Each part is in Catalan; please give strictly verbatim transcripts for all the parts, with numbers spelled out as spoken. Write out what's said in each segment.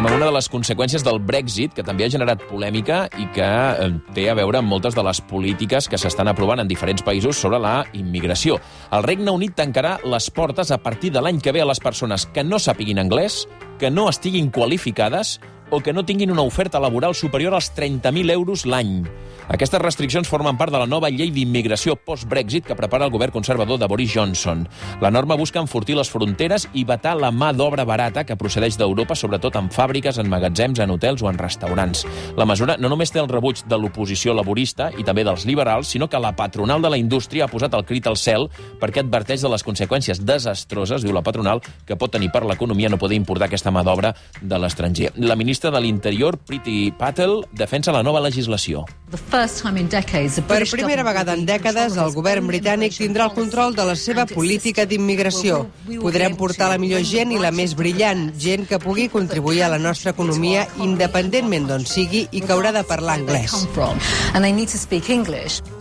amb una de les conseqüències del Brexit, que també ha generat polèmica i que té a veure amb moltes de les polítiques que s'estan aprovant en diferents països sobre la immigració. El Regne Unit tancarà les portes a partir de l'any que ve a les persones que no sàpiguin anglès, que no estiguin qualificades o que no tinguin una oferta laboral superior als trenta mil euros l'any. Aquestes restriccions formen part de la nova llei d'immigració post-Brexit que prepara el govern conservador de Boris Johnson. La norma busca enfortir les fronteres i vetar la mà d'obra barata que procedeix d'Europa, sobretot en fàbriques, en magatzems, en hotels o en restaurants. La mesura no només té el rebuig de l'oposició laborista i també dels liberals, sinó que la patronal de la indústria ha posat el crit al cel perquè adverteix de les conseqüències desastroses, diu la patronal, que pot tenir per l'economia no poder importar aquesta mà d'obra de l'estranger. La ministra de l'Interior, Priti Patel, defensa la nova legislació. Per primera vegada en dècades, el govern britànic tindrà el control de la seva política d'immigració. Podrem portar la millor gent i la més brillant, gent que pugui contribuir a la nostra economia independentment d'on sigui i que haurà de parlar anglès.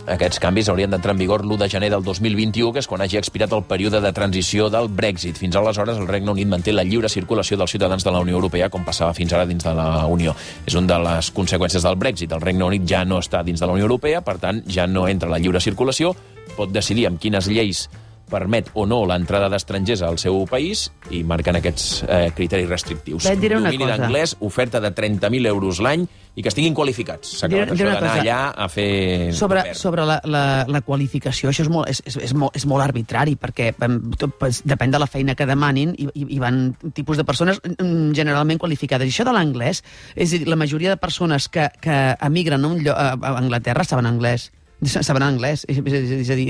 Aquests canvis haurien d'entrar en vigor l'u de gener del dos mil vint-i-u, que és quan hagi expirat el període de transició del Brexit. Fins aleshores, el Regne Unit manté la lliure circulació dels ciutadans de la Unió Europea, com passava fins ara dins de la Unió. És una de les conseqüències del Brexit. El Regne Unit ja no està dins de la Unió Europea, per tant, ja no entra la lliure circulació, pot decidir amb quines lleis permet o no l'entrada d'estrangers al seu país i marquen aquests eh, criteris restrictius. Domini d'anglès, oferta de trenta mil euros l'any i que estiguin qualificats. S'ha acabat això d'anar allà a fer... Sobre, sobre la, la, la qualificació, això és molt, és, és, és, molt, és molt arbitrari, perquè tot, depèn de la feina que demanin i, i van tipus de persones generalment qualificades. I això de l'anglès, és a dir, la majoria de persones que, que emigren a, un lloc, a Anglaterra saben anglès. Saben anglès, és, és a dir,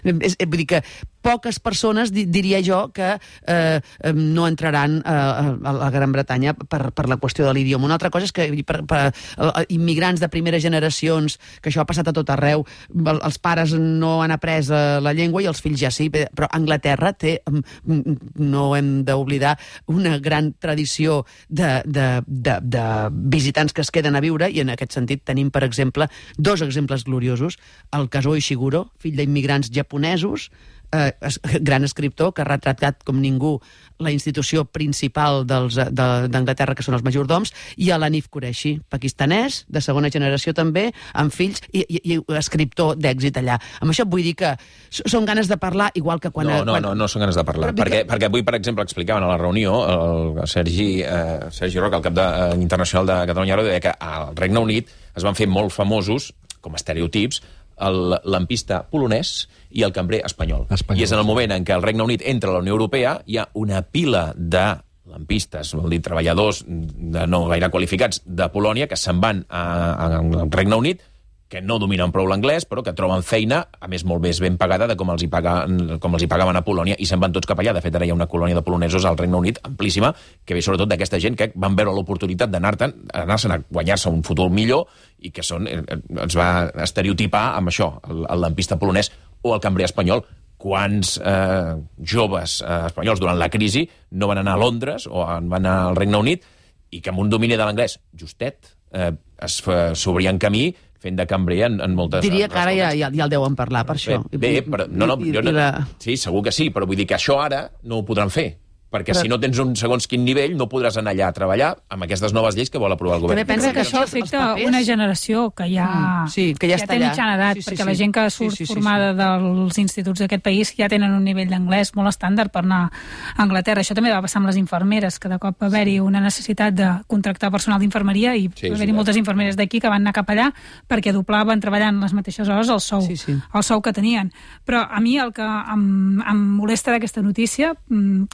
és, vull dir que poques persones, diria jo, que eh, no entraran a, a la Gran Bretanya per, per la qüestió de l'idioma. Una altra cosa és que per, per immigrants de primeres generacions, que això ha passat a tot arreu, els pares no han après la llengua i els fills ja sí, però Anglaterra té, no hem d'oblidar, una gran tradició de, de, de, de visitants que es queden a viure, i en aquest sentit tenim, per exemple, dos exemples gloriosos. El Kazuo Ishiguro, fill d'immigrants japonesos, eh, gran escriptor que ha retratat com ningú la institució principal dels, de, d'Anglaterra, que són els majordoms, i a l'Hanif Qureshi, pakistanès, de segona generació també, amb fills, i, i, i escriptor d'èxit allà. Amb això vull dir que són ganes de parlar, igual que quan... No, no, quan... no, no són ganes de parlar, perquè, que... perquè avui, per exemple, explicaven a la reunió, el Sergi, eh, Sergi Roca, el cap de, eh, internacional de Catalunya Ràdio, deia que al Regne Unit es van fer molt famosos, com a estereotips, el lampista polonès i el cambrer espanyol. espanyol. I és en el moment en què el Regne Unit entra a la Unió Europea, hi ha una pila de lampistes, vol dir treballadors de no gaire qualificats de Polònia, que se'n van al Regne Unit, que no dominen prou l'anglès, però que troben feina, a més molt més ben pagada de com els hi, pagaven, com els hi pagaven a Polònia, i se'n van tots cap allà. De fet, ara hi ha una colònia de polonesos al Regne Unit amplíssima, que ve sobretot d'aquesta gent que van veure l'oportunitat d'anar-te'n, anar-se'n a guanyar-se un futur millor, i que són, ens va estereotipar amb això, el, el lampista polonès o el cambrer espanyol. Quants eh, joves eh, espanyols durant la crisi no van anar a Londres o van anar al Regne Unit i que amb un domini de l'anglès justet eh, es s'obrien camí fent de cambrer en, en moltes... Diria que ara ja, ja, ja el deuen parlar, per això. Bé, bé però, no, no, jo no, la... sí, segur que sí, però vull dir que això ara no ho podran fer. Perquè però... si no tens un segons quin nivell no podràs anar allà a treballar amb aquestes noves lleis que vol aprovar el govern. També pensa que això afecta una generació que ja, mm, sí, que ja, ja té mitjana edat, sí, sí, perquè sí. La gent que surt sí, sí, sí, formada sí, sí. dels instituts d'aquest país ja tenen un nivell d'anglès molt estàndard per anar a Anglaterra. Això també va passar amb les infermeres, que de cop va haver-hi una necessitat de contractar personal d'infermeria i sí, va haver-hi sí, moltes infermeres d'aquí que van anar cap allà perquè doblaven treballant les mateixes hores el sou, sí, sí. el sou que tenien. Però a mi el que em, em molesta d'aquesta notícia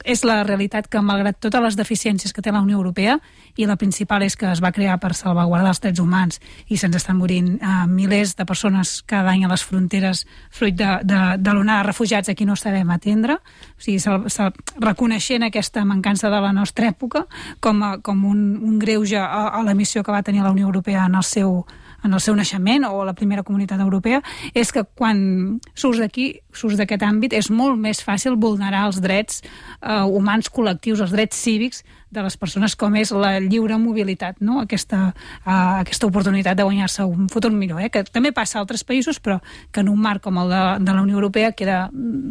és la realitat que, malgrat totes les deficiències que té la Unió Europea, i la principal és que es va crear per salvaguardar els drets humans i se'ns estan morint eh, milers de persones cada any a les fronteres fruit de, de, de l'onada de refugiats a qui no sabem atendre, o sigui, se, se, reconeixent aquesta mancança de la nostra època com, a, com un, un greuge a, a la missió que va tenir la Unió Europea en el seu en el seu naixement, o la primera comunitat europea, és que quan surts d'aquí, surts d'aquest àmbit, és molt més fàcil vulnerar els drets eh, humans col·lectius, els drets cívics de les persones, com és la lliure mobilitat, no? Aquesta, eh, aquesta oportunitat de guanyar-se un futur millor, eh? Que també passa a altres països, però que en un marc com el de, de la Unió Europea queda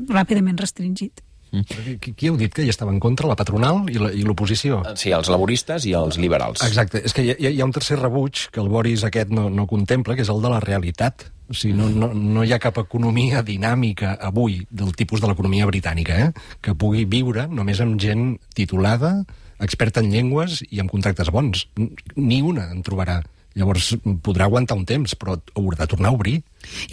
ràpidament restringit. Mm. Qui, qui heu dit que hi estava en contra? La patronal i l'oposició? Sí, els laboristes i els liberals. Exacte. És que hi ha, hi ha un tercer rebuig que el Boris aquest no, no contempla, que és el de la realitat. O sigui, no, no, no hi ha cap economia dinàmica avui del tipus de l'economia britànica, eh? que pugui viure només amb gent titulada, experta en llengües i amb contractes bons. Ni una en trobarà. Llavors podrà aguantar un temps, però haurà de tornar a obrir.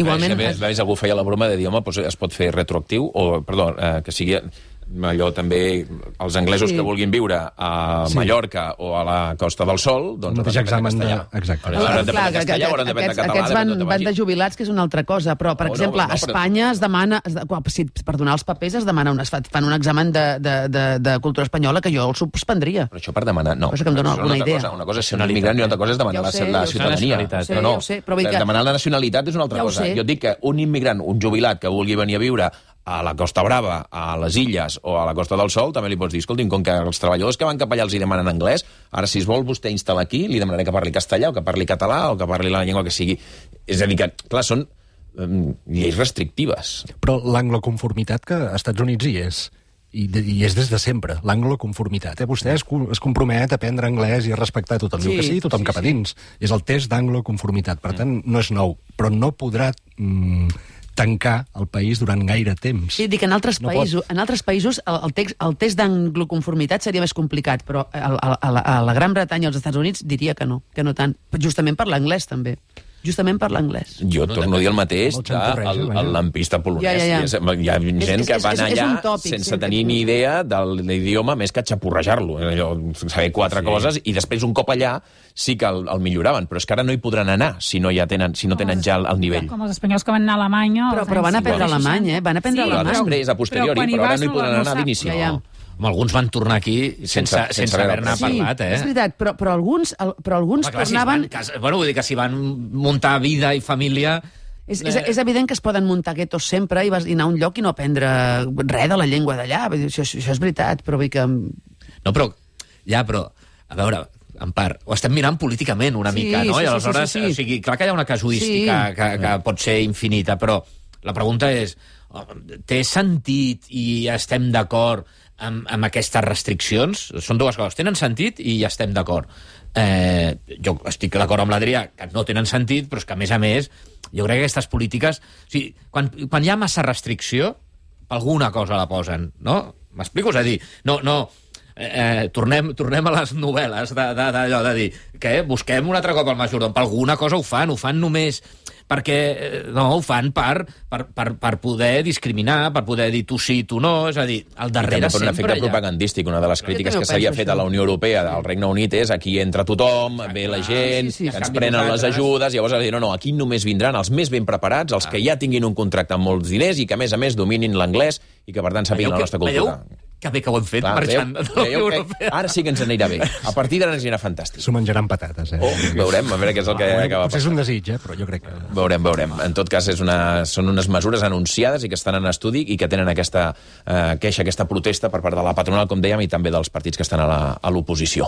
Igualment... A més, a més, algú feia la broma de dir, home, doncs es pot fer retroactiu, o, perdó, eh, que sigui... allò també, els anglesos sí. que vulguin viure a sí. Mallorca o a la Costa del Sol, doncs hauran d'aprendre castellà. De... Exacte. Hauran d'aprendre castellà, hauran d'aprendre català. Aquests van, van de jubilats, que és una altra cosa, però, per oh, exemple, no, no, a Espanya però... es demana, es, si, per donar els papers es demana un, es fan un examen de, de, de, de cultura espanyola que jo el suspendria. Però això per demanar, no. Cosa que em dona alguna idea. Cosa, una cosa és ser un immigrant i una altra cosa és demanar ja sé, la, la ciutadania. Sé, no, no. Sé, però que... Demanar la nacionalitat és una altra ja cosa. Jo dic que un immigrant, un jubilat que vulgui venir a viure a la Costa Brava, a les Illes o a la Costa del Sol, també li pots dir, escolti'm, com que els treballadors que van cap allà els hi demanen anglès, ara si es vol vostè instal·lar aquí, li demanaré que parli castellà o que parli català o que parli la llengua que sigui. És a dir que, clar, són um, lleis restrictives. Però l'angloconformitat que als Estats Units hi és, i, de, i és des de sempre, l'angloconformitat. Eh? Vostè es, es compromet a aprendre anglès i a respectar tothom. Sí, diu que sí, tothom sí, cap a dins. Sí. És el test d'angloconformitat. Per tant, no és nou, però no podrà... Mm, tancar el país durant gaire temps. Sí, dic, en altres no països, pot... en altres països el, el, text, el test d'angloconformitat seria més complicat, però a, a, a, la, a la Gran Bretanya i als Estats Units diria que no, que no tant. Justament per l'anglès, també. Justament per l'anglès. Jo torno a dir el mateix del el lampista polonès. Ja, ja, ja. Hi ha gent és, que van allà és, és tòpic, sense sí, tenir ni idea de l'idioma més que xapurrejar-lo. Saber quatre sí. coses i després un cop allà sí que el, el milloraven, però és que ara no hi podran anar si no, ja tenen, si no tenen ja el, el nivell. Com els espanyols que van anar a Alemanya... Però, però van aprendre alemany, eh? Van aprendre sí, alemany. Després, a posteriori, però, però ara no hi podran anar d'inici. Ja, ja. Alguns van tornar aquí sense, sense, sense, sense haver-ne sí, parlat, eh? És veritat, però, però alguns, el, però alguns Home, clar, tornaven... Si van, cas, bueno, vull dir que si van muntar vida i família... És, és, és evident que es poden muntar guetos sempre i, vas, i anar a un lloc i no aprendre res de la llengua d'allà. Això, això és veritat, però vull que... No, però... Ja, però... A veure, en part, ho estem mirant políticament una sí, mica, no? Sí, I aleshores, sí, sí, sí. O sigui, clar que hi ha una casuística sí. que, que pot ser infinita, però la pregunta és, té sentit i estem d'acord amb, amb aquestes restriccions? Són dues coses. Tenen sentit i ja estem d'acord. Eh, jo estic d'acord amb l'Adrià que no tenen sentit, però és que, a més a més, jo crec que aquestes polítiques... O sigui, quan, quan hi ha massa restricció, alguna cosa la posen, no? M'explico? És a dir, no... no Eh, tornem, tornem a les novel·les d'allò de, de, de dir que busquem un altre cop el majordom, per alguna cosa ho fan, ho fan només perquè no, ho fan per, per, per, per poder discriminar, per poder dir tu sí, tu no, és a dir, al darrere sempre... I també per un efecte allà. propagandístic, una de les crítiques que s'havia fet a la Unió Europea al Regne Unit és aquí entra tothom, ah, ve la gent, sí, sí, que ens prenen les ajudes, llavors dir, no, no, aquí només vindran els més ben preparats, els ah. que ja tinguin un contracte amb molts diners i que a més a més dominin l'anglès i que per tant sàpiguen la nostra cultura. Veieu? Que bé que ho hem fet, clar, marxant de la Unió Europea. Ara sí que ens anirà bé. A partir d'ara ens anirà fantàstic. S'ho menjaran patates, eh? Oh, veurem, a veure què és el que ah, acaba potser és un desig, eh? Però jo crec que... Veurem, veurem. En tot cas, és una, són unes mesures anunciades i que estan en estudi i que tenen aquesta eh, queixa, aquesta protesta per part de la patronal, com dèiem, i també dels partits que estan a l'oposició.